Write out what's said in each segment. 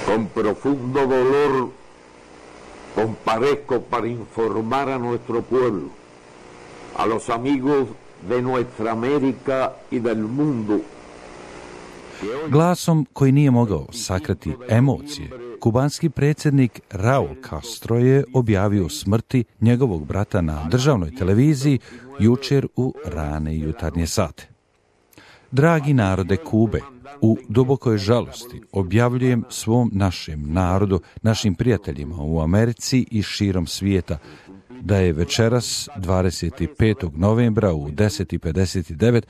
Con profundo dolor comparezco para informar a nuestro pueblo, a los amigos de nuestra América y del mundo. Glasom koji nije mogao sakriti emocije, kubanski predsjednik Raul Castro je objavio smrti njegovog brata na državnoj televiziji jučer u rane jutarnje sate. Dragi narode Kube, u dubokoj žalosti objavljujem svom našem narodu, našim prijateljima u Americi i širom svijeta, da je večeras 25. novembra u 10:59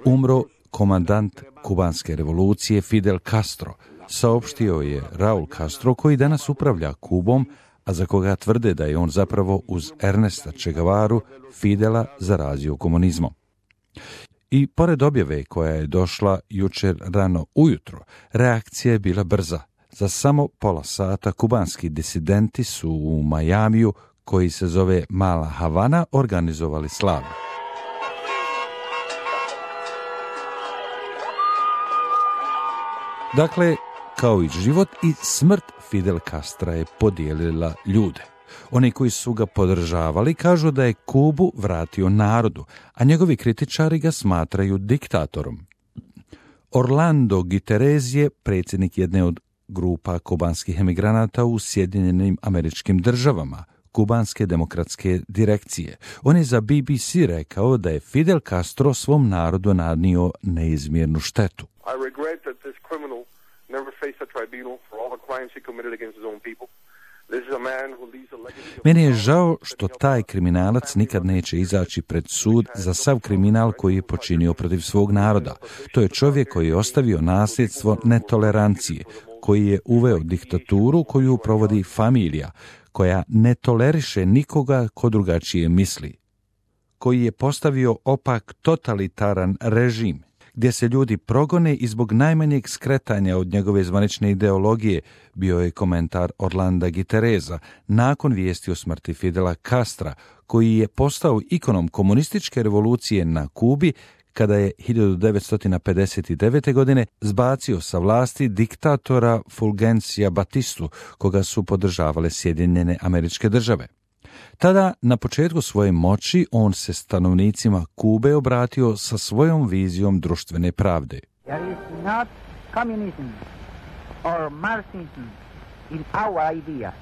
umro komandant kubanske revolucije Fidel Castro, saopštio je Raul Castro, koji danas upravlja Kubom, a za koga tvrde da je on zapravo uz Ernesta Che Guevaru Fidela zarazio komunizmom. I pored objave koja je došla jučer rano ujutro, reakcija je bila brza. Za samo pola sata kubanski disidenti su u Majamiju, koji se zove Mala Havana, organizovali slavlje. Dakle, kao i život i smrt Fidel Castra je podijelila ljude. Oni koji su ga podržavali kažu da je Kubu vratio narodu, a njegovi kritičari ga smatraju diktatorom. Orlando Guterres je predsjednik jedne od grupa kubanskih emigranata u Sjedinjenim Američkim Državama, Kubanske demokratske direkcije. On je za BBC rekao da je Fidel Castro svom narodu nanio neizmjernu štetu. I regret that this criminal never faced a tribunal for all the crimes he committed against his own people. Meni je žao što taj kriminalac nikad neće izaći pred sud za sav kriminal koji je počinio protiv svog naroda. To je čovjek koji je ostavio nasljedstvo netolerancije, koji je uveo diktaturu koju provodi familija, koja ne toleriše nikoga ko drugačije misli, koji je postavio opak totalitaran režim, gdje se ljudi progone i zbog najmanjeg skretanja od njegove zvanične ideologije, bio je komentar Orlanda Guterresa nakon vijesti o smrti Fidela Castra, koji je postao ikonom komunističke revolucije na Kubi kada je 1959. godine zbacio sa vlasti diktatora Fulgencija Batistu, koga su podržavale Sjedinjene Američke Države. Tada, na početku svoje moći, on se stanovnicima Kube obratio sa svojom vizijom društvene pravde. There is not communism or Marxism in our idea.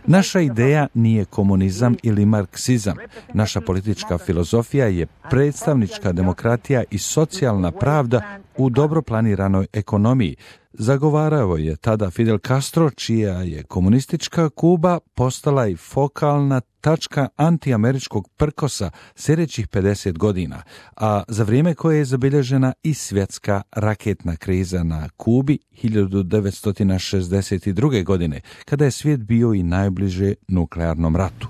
Naša ideja nije komunizam ili marksizam. Naša politička filozofija je predstavnička demokratija i socijalna pravda u dobro planiranoj ekonomiji. Zagovarao je tada Fidel Castro, čija je komunistička Kuba postala i fokalna tačka antiameričkog prkosa sljedećih 50 godina, a za vrijeme koje je zabilježena i svjetska raketna kriza na Kubi 1962. godine, kada je svijet bio i najbliže nuklearnom ratu.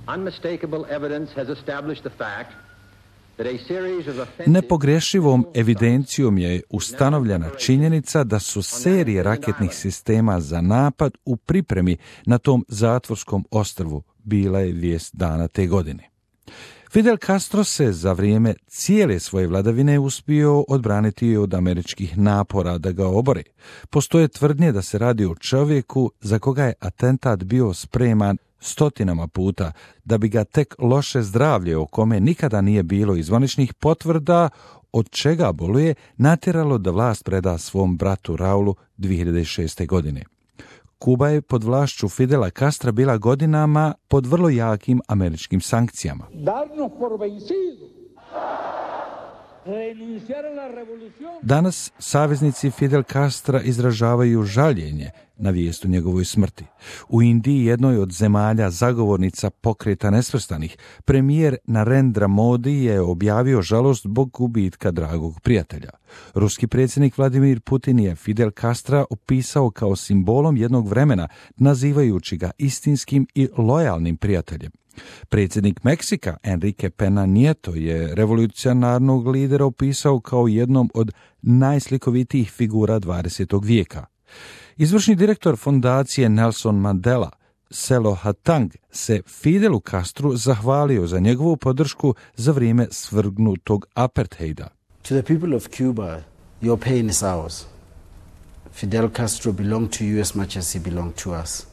Nepogrešivom evidencijom je ustanovljena činjenica da su serije raketnih sistema za napad u pripremi na tom zatvorskom ostrvu, bila je vijest dana te godine. Fidel Castro se za vrijeme cijele svoje vladavine uspio odbraniti od američkih napora da ga obore. Postoje tvrdnje da se radi o čovjeku za koga je atentat bio spreman stotinama puta, da bi ga tek loše zdravlje, o kome nikada nije bilo zvaničnih potvrda od čega boluje, natjeralo da vlast preda svom bratu Raulu 2006. godine. Kuba je pod vlašću Fidela Castra bila godinama pod vrlo jakim američkim sankcijama. Danas saveznici Fidel Castra izražavaju žaljenje na vijest o njegovoj smrti. U Indiji, jednoj od zemalja zagovornica Pokreta nesvrstanih, premijer Narendra Modi je objavio žalost zbog gubitka dragog prijatelja. Ruski predsjednik Vladimir Putin je Fidel Castra opisao kao simbolom jednog vremena, nazivajući ga istinskim i lojalnim prijateljem. Predsjednik Meksika Enrique Pena Nieto je revolucionarnog lidera opisao kao jednom od najslikovitijih figura 20. vijeka. Izvršni direktor fondacije Nelson Mandela, Selo Hatang, se Fidelu Castru zahvalio za njegovu podršku za vrijeme svrgnutog apartheida. To the people of Cuba, your pain is ours. Fidel Castro belonged to you as much as he belonged to us.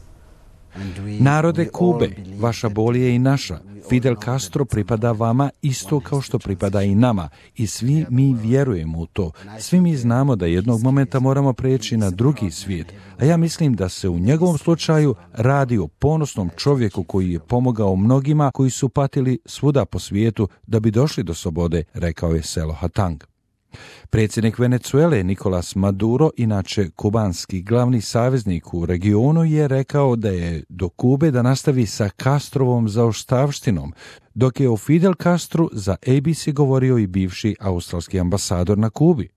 Narode Kube, vaša bol je i naša. Fidel Castro pripada vama isto kao što pripada i nama i svi mi vjerujemo u to. Svi mi znamo da jednog momenta moramo preći na drugi svijet, a ja mislim da se u njegovom slučaju radi o ponosnom čovjeku koji je pomogao mnogima koji su patili svuda po svijetu da bi došli do slobode, rekao je Selo Hatang. Predsjednik Venezuele Nicolas Maduro, inače kubanski glavni saveznik u regionu, je rekao da je do Kube da nastavi sa Castrovom zaostavštinom, dok je o Fidel Castru za ABC govorio i bivši australski ambasador na Kubi.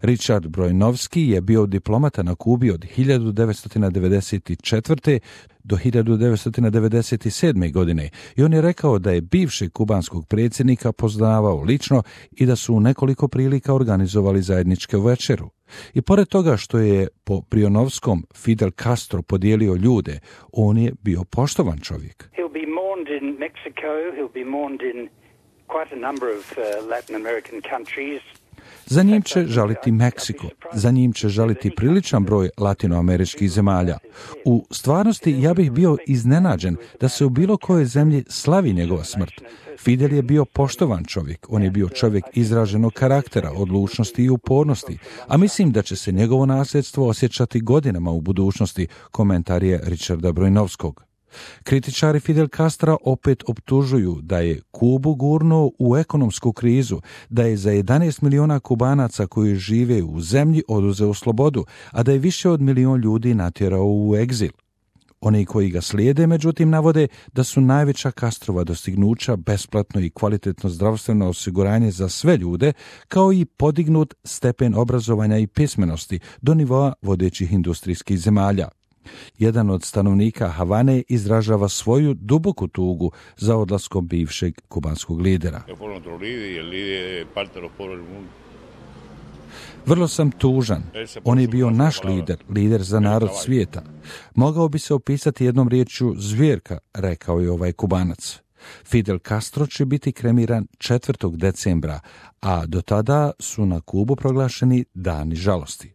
Richard Brojnovski je bio diplomata na Kubi od 1994. do 1997. godine i on je rekao da je bivšeg kubanskog predsjednika poznavao lično i da su u nekoliko prilika organizovali zajedničke večeru. I pored toga što je po Brionovskom Fidel Castro podijelio ljude, on je bio poštovan čovjek. He'll be mourned in Mexico, he'll be mourned in quite a number of Latin American countries. Za njim će žaliti Meksiko, za njim će žaliti priličan broj latinoameričkih zemalja. U stvarnosti ja bih bio iznenađen da se u bilo kojoj zemlji slavi njegova smrt. Fidel je bio poštovan čovjek, on je bio čovjek izraženog karaktera, odlučnosti i upornosti, a mislim da će se njegovo nasljedstvo osjećati godinama u budućnosti, komentar je Richarda Brojnovskog. Kritičari Fidel Castra opet optužuju da je Kubu gurnuo u ekonomsku krizu, da je za 11 miliona Kubanaca koji žive u zemlji oduzeo slobodu, a da je više od milion ljudi natjerao u egzil. Oni koji ga slijede, međutim, navode da su najveća Castrova dostignuća besplatno i kvalitetno zdravstveno osiguranje za sve ljude, kao i podignut stepen obrazovanja i pismenosti do nivoa vodećih industrijskih zemalja. Jedan od stanovnika Havane izražava svoju duboku tugu za odlaskom bivšeg kubanskog lidera. Vrlo sam tužan. On je bio naš lider za narod svijeta. Mogao bi se opisati jednom riječju zvjerka, rekao je ovaj Kubanac. Fidel Castro će biti kremiran 4. decembra, a do tada su na Kubu proglašeni dani žalosti.